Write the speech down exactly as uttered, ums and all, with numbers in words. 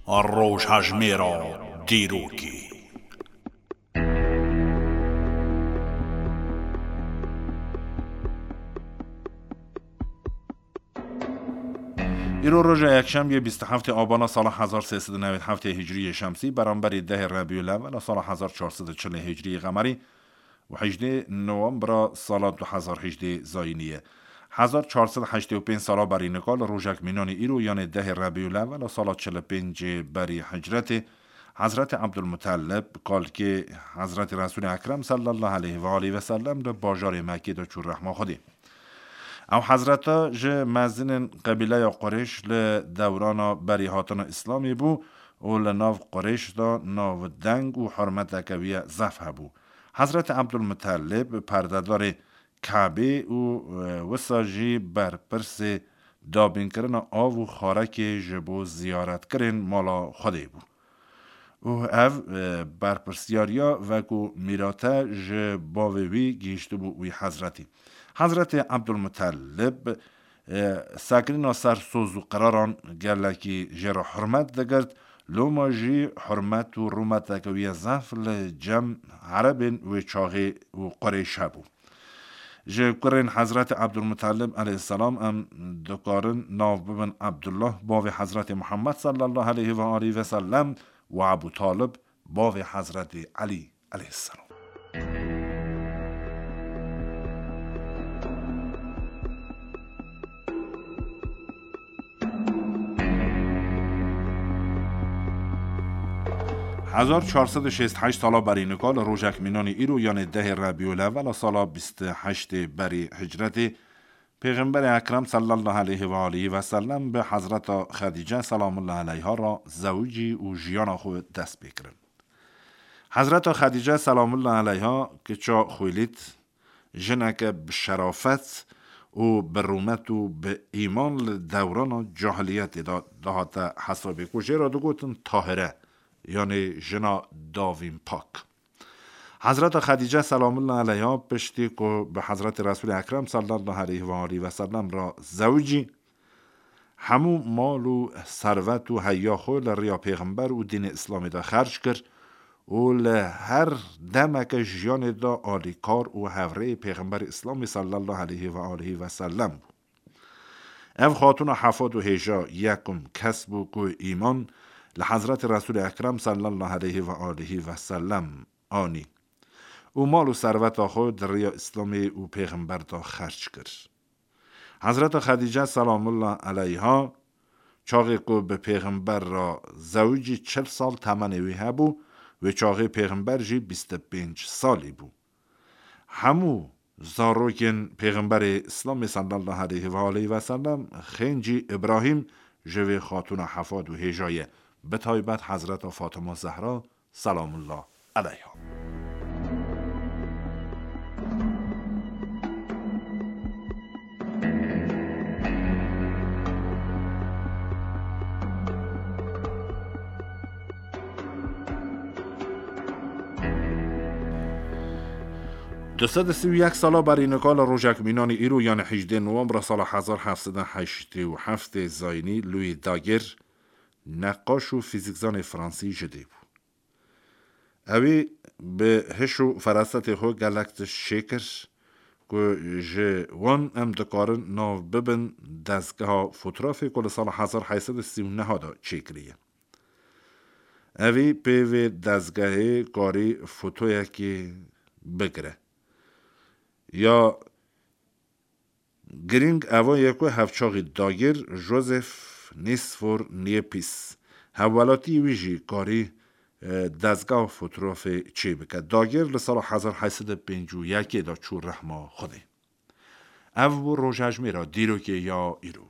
Rojhejmêra dîrokê. Îro roja yekşemiyê bîst û heftê Abana sala hezar sê sed û newêd heftê Hicriyê Şemsî, beramberî dehê Rebîul Ewwel a sala hezar çar sed û çilê Hicriyê Qemerî û hejdê Nowembra sala du hezar hejdê Zayînî ye. Hezar çar sed heştê û pênc sala berî nika li rojek mînanî îro, yanê dehê Rebîul Ewwel a sala çil û pêncê berî Hicretê, Hezretê Ebdulmutellib, kalkê Hezretê Resûlê Ekrem sallallahu aleyhi ve aleyhi ve sellem, li bajarê Mekkê de çû rehma Xwedê. Ew hezreta ji mezinên qebîleya Qurêş li dewrana berî hatina Îslamê bû û li nav Qurêş de navdeng û hurmeteke wî ye zef hebû. Hezretê Ebdulmutellib perdedarê Kabê û, e, wisa jî berpirsê dabînkirina av û xarekê ji bo ziyaretkirên mala Xwedê bû. Û ev, e, berpirsiyariya wekû mîrate ji bavê wî gihîştibû wî hezretî. Hezretê Ebdulmutellib, e, sekirîna ser soz û qiraran gelekî jê re hurmet digirt, loma jî hurmet û rûmeteke wî ye zef li cem erebên wê çaxê û Qurêş hebû. Ji kurên Hezretê Ebdulmutellib aleyhisselam em dikarin nav bibin Ebdullah, bavê Hezretê Muhammed sallallahu aleyhi ve aleyhi ve sellem û Ebu Talib, bavê Hezretê Elî aleyhisselam. Hezar çar sed û şêst heşt sala berî nika li rojek mînanî îro, yanê dehê Rebîul Ewwel a sala bîst û heştê berî Hicretê, Pêxemberê Ekrem sallallahu aleyhi ve aleyhi ve sellem bi Hezreta Xedîce selamullahi aleyha re zewicî û jiyana xwe dest pê kirin. Hezreta Xedîce selamullahi aleyha kiça Xuwîlîd, jineke bi şerafet û bi rûmet û bi îman li dewrana cahiliyetê de dihate hesabê, ku jê re digotin Tahire, yanê jina davîn pak. Hezreta Xedîce selamullahi aleyha piştî ku bi Hezretê Resûlê Ekrem sallallahu aleyhi ve aleyhi ve sellem re zewicî, hemû mal û servet û heya xwe li riya Pêxember û dînê Îslamê de xerc kir û li her demeke jiyanê de alîkar û hevrêyê Pêxemberê Îslamê sallallahu aleyhi ve aleyhi ve sellem bû. Ev xatûna hefad û hêja yekum kes bû ku îman li Hezretê Resûlê Ekrem sallallahu aleyhi ve aleyhi ve sellem anî û mal û serveta xwe di riya Îslamê û Pêxember de xerc kir. Hezreta Xedîce selamullah aleyha çaxê ku bi Pêxember re zewicî çil sal temenê wî hebû, wê çaxê Pêxember jî bîst û pênc salî bû. Hemû zarokên Pêxemberê Îslamê sallallahu aleyhi ve aleyhi ve sellem xêncî Îbrahîm ji vê xatûna hefad û hêja ye, bi taybet Hezreta Fatima Zehra selamullah aleyha. Du sed û sî û yek sala berî nika li rojek mînanî îro, yanî hejdê Nowembra sala hezar heft sed û heştê û heftê Zayînî, Louis Daguerre, neqaş û fîzîkzanê fransî ji dê bû. Ewî bi hiş û ferasetê xwe gelek tişt çêkir ku ji wan em dikarin nav bibin dezgeha fotografê ku li sala hezar heyt sed û sî û neh de çêkiriye. Evî pê vê dezgehê karî fotoyekê bigire. Ya girîng ev e ku hevçaxî Daguerre Joseph Nicephore Niepce, hevwelatiyê wî jî karî, e, dezgeha fotografê çêbike. Daguerre li sala hezar heyt sed û pêncî û yekê de çû rehma Xwedê. Ev bû rojhejmêra dîrokê ya îro.